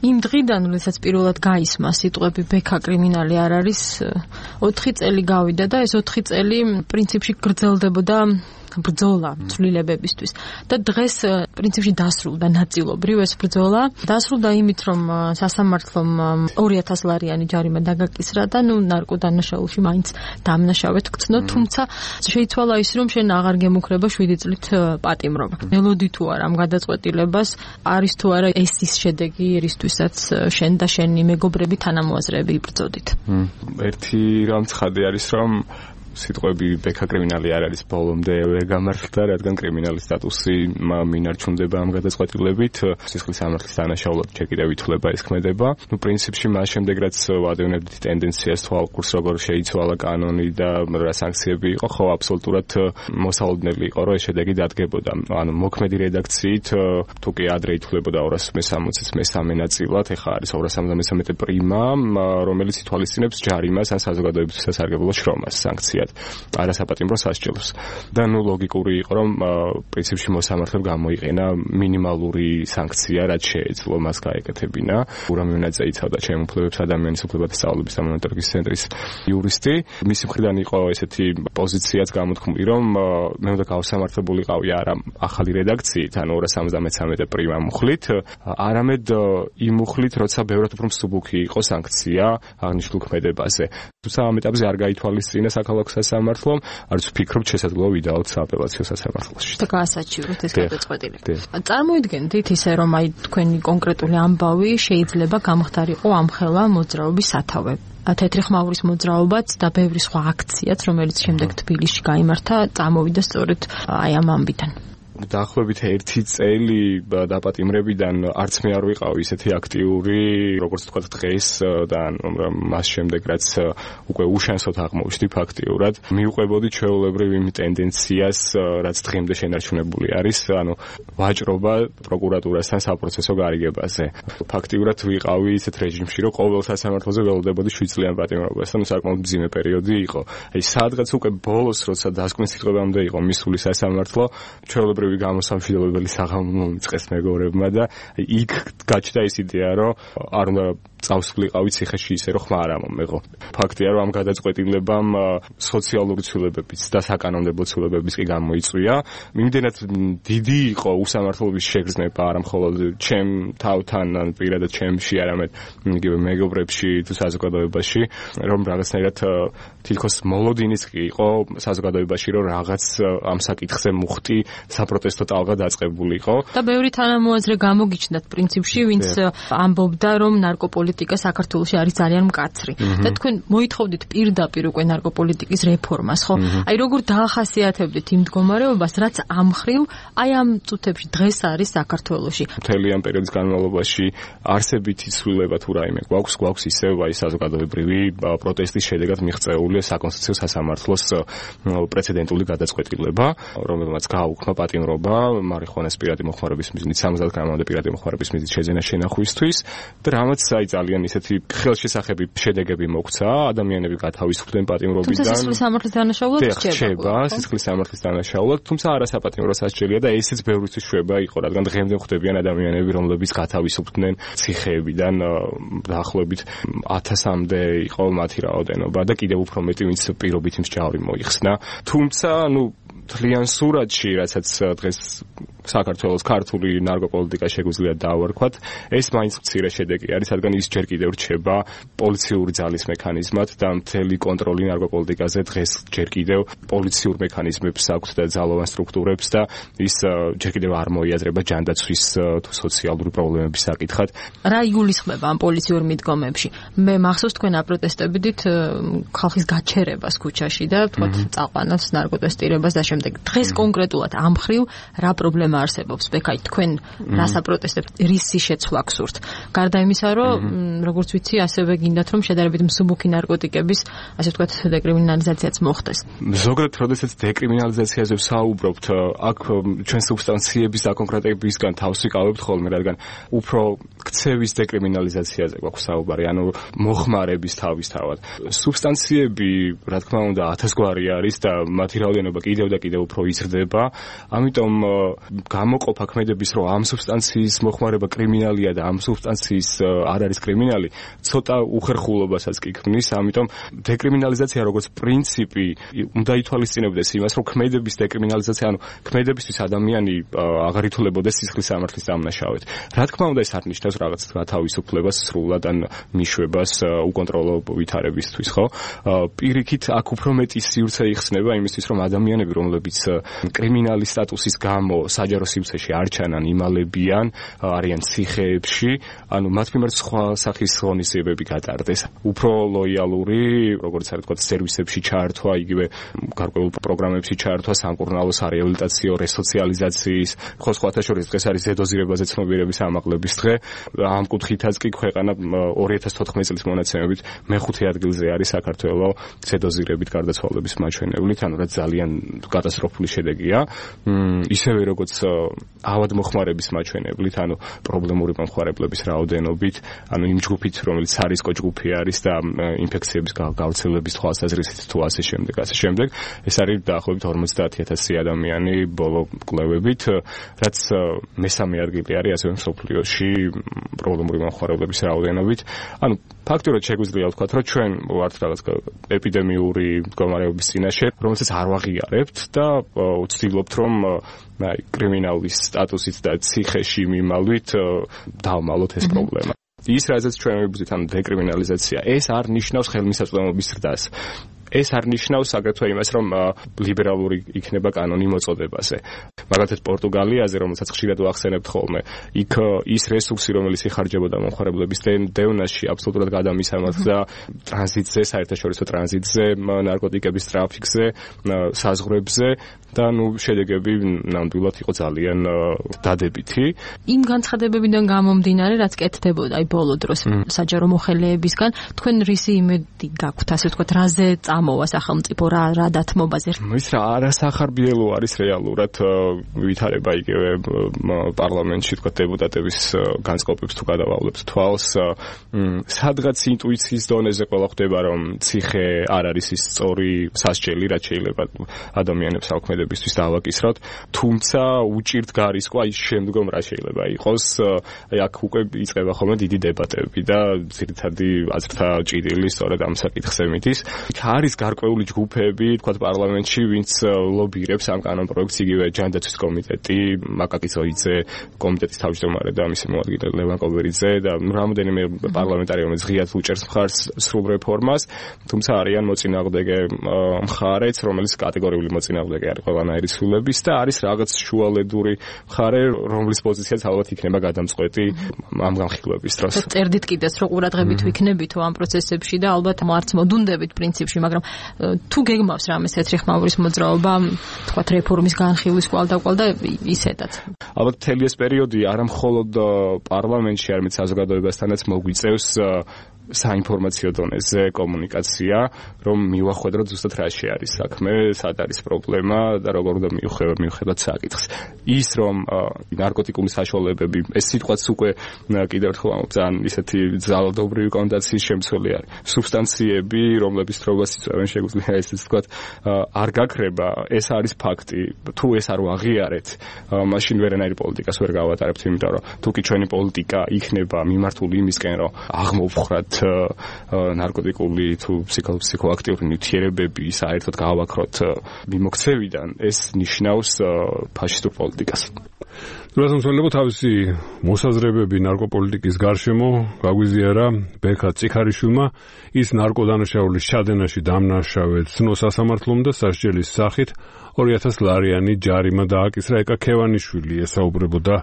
იმ დღიდან, როდესაც პირველად გაისმა სიტყვები ბექა კრიმინალი არ არის, 4 წელი გავიდა და ეს 4 წელი პრინციპში გრძელდებოდა ბრძოლა ცვლილებებისთვის და დღეს პრინციპში დასრულდა ნაწილობრივ ეს ბრძოლა. დასრულდა იმით, რომ სასამართლომ 2000 ლარიანი ჯარიმა დაგაკისრა და ნარკოდანაშაულში მაინც დამნაშავედ გწნო, თუმცა შეიცვალა ის, რომ შენ აღარ გემუქრება 7 წლით პატიმრობა. ველოდი თუ არა ამ გადაწყვეტილებას, არის თუ არა ეს ის შედეგი, რისთვისაც შენ და შენი მეგობრები თანამოაზრეები იბრძოდით. ერთი რამ ცხადი არის, რომ სიტყვები ბექა კრიმინალი არ არის ბოლომდე ვერ გამართლდა, რადგან კრიმინალის სტატუსი მინარჩუნდება ამ გადაწყვეტილებით, სისხლის სამართლის დანაშაულად ჯერ კიდევ ითვლება ეს ქმედება. პრინციპში მას შემდეგ რაც ვადევნებდით ტენდენციას თვალყურს, როგორ შეიცვალა კანონი და რა სანქციები იყო, ხო აბსოლუტურად მოსალოდნელი იყო, რომ ეს შედეგი დადგებოდა. ანუ მოქმედი რედაქციით თუ კი ადრე ითვლებოდა 260-ის მესამე ნაწილად, ეხლა არის 273 პრიმა, რომელიც ითვალისწინებს ჯარიმას ან საზოგადოებისთვის სასარგებლო შრომას სანქციად. არასაპატიმრო სასჯელს. და ლოგიკური იყო, რომ პრინციპში მოსამართლემ გამოიყენა მინიმალური სანქცია, რაც შეეძლო მას გაეკეთებინა. ურამიონაძე იცავდა ჩემ უფლებებს ადამიანის უფლებათა სწავლების და მონიტორინგის ცენტრის იურისტი. მისი მხრიდან იყო ესეთი პოზიციაც გამოთქმული, რომ მე უნდა გავსამართლებულიყავი არა ახალი რედაქციით, ანუ 273 პრიმა მუხლით, არამედ იმ მუხლით, როცა ბევრად უფრო მსუბუქი იყო სანქცია აღნიშნულ ქმედებაზე. თუმცა ამ ეტაპზე არ გაითვალისწინა საქალაქო სასამართლომ, არც ვფიქრობ შესაძლოა ვიდაოთ სააპელაციო სასამართლოში. და გაასაჩივროთ ეს გადაწყვეტილება. წარმოიდგენთ ისე, რომ აი თქვენი კონკრეტული ამბავი შეიძლება გამხდარიყო ამხელა მოძრაობის სათავე. თეთრი ხმაურის მოძრაობაც და ბევრი სხვა აქციაც, რომელიც შემდეგ თბილისში გაიმართა, წამოვიდა სწორედ აი ამ ამბიდან. დაახლოებით 1 წელი დაპატიმრებიდან არც მე არ ვიყავი ისეთი აქტიური, როგორც თქვა დღეს და მას შემდეგ რაც უკვე უშანსოდ აღმოვჩნდი ფაქტიურად, მივყვებოდი ჩვეულებრივ იმ ტენდენციას, რაც დღემდე შენარჩუნებული არის, ანუ ვაჭრობა პროკურატურასთან საპროცესო გარიგებაზე. ფაქტიურად ვიყავი ისეთ რეჟიმში, რომ ყოველ სასამართლოზე ველოდებოდი 7 წლიან პატიმრობასთან, საკმაოდ მძიმე პერიოდი იყო. აი სადღაც უკვე ბოლოს, როცა დასკვნის სიტყვებამდე იყო მისული სასამართლო, ჩვეულებრივ გამოსამშვიდობებელი საღამო მიწყეს მეგობრებმა და იქ გაჩნდა ის იდეა, რომ არ უნდა წავსვლიყავი ციხეში ისე, რომ ხმა არ ამომეღო. ფაქტია, რომ ამ გადაწყვეტილებამ სოციალური ცვლილებებიც და საკანონმდებლო ცვლილებებიც კი გამოიწვია. იმდენად დიდი იყო უსამართლობის შეგრძნება არა მხოლოდ ჩემ თავთან, ან პირადად ჩემში, არამედ იგივე მეგობრებში თუ საზოგადოებაში, რომ რაღაცნაირად თითქოს მოლოდინიც კი იყო საზოგადოებაში, რომ რაღაც ამ საკითხზე მუხტი საპროტესტო ტალღა დაწყებულიყო. და ბევრი თანამოაზრე გამოგიჩნდათ პრინციპში, ვინც ამბობდა, რომ ნარკოპოლიტიკა საქართველოში არის ძალიან მკაცრი. და თქვენ მოითხოვდით პირდაპირ უკვე ნარკოპოლიტიკის რეფორმას, ხო? აი როგორ დაახასიათებდით იმ მდგომარეობას, რაც ამხრივ აი ამ წუთებში დღეს არის საქართველოში. მთელი ამ პერიოდის განმავლობაში არსებითი ცვლილება თუ რაიმე გვაქვს ისევ აი საზოგადოებრივი პროტესტის შედეგად მიღწეული საკონსტიტუციო სასამართლოს პრეცედენტული გადაწყვეტილება, რომელმაც გააუქმა პატიმრობა მარიხუანას პირადი მოხმარების მიზნით 70 გრამამდე პირადი მოხმარების მიზნით შეძენა შენახვისთვის და რამაც აი ძალიან ისეთი ხელშესახები შედეგები მოგვცა, ადამიანები გათავისუფლდნენ პატიმრობიდან. თუმცა სისხლის სამართლის დანაშაულად რჩება, სისხლის სამართლის დანაშაულად, თუმცა არასაპატიმრო სასჯელია და ესეც ბევრისთვის შვება იყო, რადგან დღემდე ხვდებიან ადამიანები, რომლებიც გათავისუფლდნენ ციხეებიდან, დაახლოებით 1000-მდე იყო მათი რაოდენობა და კიდევ უფრო მეტი ვინც პირობითი მსჯავრი მოიხსნა. თუმცა, თლიან სურათში, რასაც დღეს საქართველოს ქართული ნარკოპოლიტიკა შეგვიძლია დავარქვათ, ეს მაინც მცირე შედეგი არის, რადგან ის ჯერ კიდევ რჩება პოლიციური ძალის მექანიზმად და მთელი კონტროლი ნარკოპოლიტიკაზე დღეს ჯერ კიდევ პოლიციურ მექანიზმებს აქვს და ძალოვან სტრუქტურებს და ის ჯერ კიდევ არ მოიაზრება ჯანდაცვის თუ სოციალური პრობლემების საკითხად. რა იგულისხმება ამ პოლიციურ მიდგომებში? მე მახსოვს თქვენ აპროტესტებდით ხალხის გაჩერებას ქუჩაში და თქვათ წაყვანას, ნარკოტესტირებას და შემდეგ. დღეს კონკრეტულად ამ ხრივ რა პრობლემა არსებობს? ბექაი, თქვენ რას აპროტესტებთ? რისი შეცვლა გსურთ? გარდა იმისა, რომ როგორც ვიცი, ასევე გინდათ, რომ შედარებით მსუბუქი ნარკოტიკების, ასე ვთქვათ, დეკრიმინალიზაციაც მოხდეს. ზოგადად, როდესაც დეკრიმინალიზაციაზე ვსაუბრობთ, აქ ჩვენ სუბსტანციების დაკონკრეტებისგან თავს ვიკავებთ ხოლმე, რადგან უფრო ქცევის დეკრიმინალიზაციაზე გვაქვს საუბარი, ანუ მოხმარების თავისთავად. სუბსტანციები, რა თქმა უნდა, 1000 გვარი არის და მათი რაოდენობა კიდევ და კიდევ უფრო იზრდება. ამიტომ გამოყოფა ქმედების, რომ ამ სუბსტანციის მოხმარება კრიმინალია და ამ სუბსტანციის არ არის კრიმინალი, ცოტა უხერხულობასაც კი ქმნის. ამიტომ დეკრიმინალიზაცია როგორც პრინციპი უნდა ითვალისწინებდეს იმას, რომ ქმედების დეკრიმინალიზაცია, ანუ ქმედებისთვის ადამიანი აღარ ითვლებოდეს სისხლის სამართლის დამნაშავედ. რა თქმა უნდა, ეს არ ნიშნავს რაღაც გათავისუფლებას სრულად ან მიშვებას უკონტროლო ვითარებისთვის, ხო? პირიქით აქ უფრო მეტი სივრცე იხსნება იმისთვის, რომ ადამიანები, რომლებიც კრიმინალის სტატუსის გამო საჯარო სივრცეში არ ჩანან, იმალებიან, არიან ციხეებში, ანუ მათ მიმართ სხვა სახის ღონისძიებები გატარდეს. უფრო ლოიალური, როგორც არის თქვა, სერვისებში ჩართვა, იგივე გარკვეულ პროგრამებში ჩართვა, სამკურნალო სარეაბილიტაციო რესოციალიზაციის, ხო სხვათა შორის დღეს არის ზედოზირებაზე ცნობიერების ამაღლების დღე. ამ კუთხითაც კი ქვეყანა 2014 წლის მონაცემებით მეხუთე ადგილზე არის საქართველოს ზედოზირებით გარდაცვალების მაჩვენებლით, ანუ რაც ძალიან კატასტროფული შედეგია. ისევე როგორც ავადმოხმარების მაჩვენებლით, ანუ პრობლემური მომხმარებლების რაოდენობით, ანუ იმ ჯგუფით, რომელიც სარისკო ჯგუფი არის და ინფექციების გავრცელების თვალსაზრისით თუ ასე შემდეგ, ეს არის დაახლოებით 50,000 ადამიანი ბოლო კვლევებით, რაც მესამე ადგილი არის ასევე მსოფლიოში პრობლემური მომხმარებლების რაოდენობით. ანუ ფაქტურად შეგვიძლია ვთქვათ, რომ ჩვენ ვართ რაღაც ეპიდემიური მდგომარეობის წინაშე, რომელსაც არ ვაღიარებთ და ვცდილობთ, რომ კრიმინალის სტატუსით და ციხეში მიმალვით დავმალოთ ეს პრობლემა. ის რაზეც ჩვენ ვიბრძვით, ანუ დეკრიმინალიზაცია, ეს არ ნიშნავს ხელმისაწვდომობის ზრდას. ეს არ ნიშნავს აგრეთვე იმას, რომ ლიბერალური იქნება კანონი მოწოდებაზე. მაგალითად პორტუგალიაზე, რომელსაც ხშირად ვახსენებთ ხოლმე, იქ ის რესურსი, რომელიც იხარჯებოდა მომხმარებლების დევნაში, აბსოლუტურად გადამისამართდა ტრანზიტზე, საერთაშორისო ტრანზიტზე, ნარკოტიკების ტრაფიკზე, საზღვრებზე და შედეგები ნამდვილად იყო ძალიან დადებითი. იმ განცხადებებიდან გამომდინარე, რაც კეთდებოდა აი ბოლო დროს საჯარო მოხელეებისგან, თქვენ რისი იმედი გაქვთ, ასე ვთქვათ, რაზე ამოვა სახელმწიფო რა დათმობაზე? ის რა არასახარბიელო არის რეალურად ვითარება იგივე პარლამენტში თქვა დეპუტატების განწყობებს თუ გადავავლებთ თვალს, სადღაც ინტუიციის დონეზე ყველა ხვდება, რომ ციხე არ არის ის სწორი სასჯელი, რაც შეიძლება ადამიანებს ალქმედებისთვის დავაკისროთ, თუმცა უჭირთ გარისკვა ის შემდგომ რა შეიძლება იყოს. აი აქ უკვე იწყება ხოლმე დიდი დებატები და ძირითადი აზრთა ჭიდილი სწორედ ამ საკითხზე მიდის. არის გარკვეული ჯგუფები, თქვა პარლამენტში, ვინც ლობირებს ამ კანონპროექტს, იგივე ჯანდაცვის კომიტეტი, მაკაკი ზოიძე, კომიტეტის თავმჯდომარე და მისი მოადგილე ლევან კობერიძე და რამოდენიმე პარლამენტარი, რომელიც ღიად უჭერს მხარს სრულ რეფორმას, თუმცა არიან მოწინააღმდეგე მხარეც, რომელიც კატეგორიული მოწინააღმდეგე არის ყველანაირი სრულების და არის რაღაც შუალედური მხარე, რომლის პოზიციაც ალბათ იქნება გადამწყვეტი ამ განხილვების დროს. წერდით კიდეც, რომ ყურადღებით ვიქნებითო ამ პროცესებში და ალბათ მარც მოდუნდებით პრინციპში, მაგრამ თუ გეგმავს რამეს თეთრი ხმაურის მოძრაობა, თქვათ რეფორმის განხილვის კვალდაკვალ და ისედაც. ალბათ მთელი ეს პერიოდი არა მხოლოდ პარლამენტში, არამედ საზოგადოებასთანაც მოგვიწევს საინფორმაციო დონეზე კომუნიკაცია, რომ მივახვედროთ ზუსტად რაში არის საქმე, სად არის პრობლემა და როგორ უნდა მივხედოთ საკითხს. ის რომ ნარკოტიკული საშუალებები, ეს სიტყვაც უკვე კიდევ ერთხელ ძალიან ისეთი ძალადობრივი კონოტაციის შემცველი არის. სუბსტანციები, რომლების თრობას იწვევენ, შეგვიძლია ესეც ვთქვათ, არ გაქრება, ეს არის ფაქტი. თუ ეს არ ვაღიარეთ, მაშინ ვერანაირი პოლიტიკას ვერ გავატარებთ, იმიტომ რომ თუ კი ჩვენი პოლიტიკა იქნება მიმართული იმისკენ, რომ აღმოვხრათ ნარკოტიკული თუ ფსიქოაქტიური ნივთიერებები საერთოდ გავაკროთ მიმოქცევიდან, ეს ნიშნავს ფაშისტურ პოლიტიკას. რასამსველებო თავისი მოსაზრებები ნარკოპოლიტიკის გარშემო გაგვიზიარა ბექა წიქარიშვილმა, ის ნარკოდანაშაულის ჩადენაში დამნაშავედ ცნო სასამართლომ და სასჯელის სახით 2000 ლარიანი ჯარიმა დააკისრა. ეკა ქევანიშვილი ესაუბრებოდა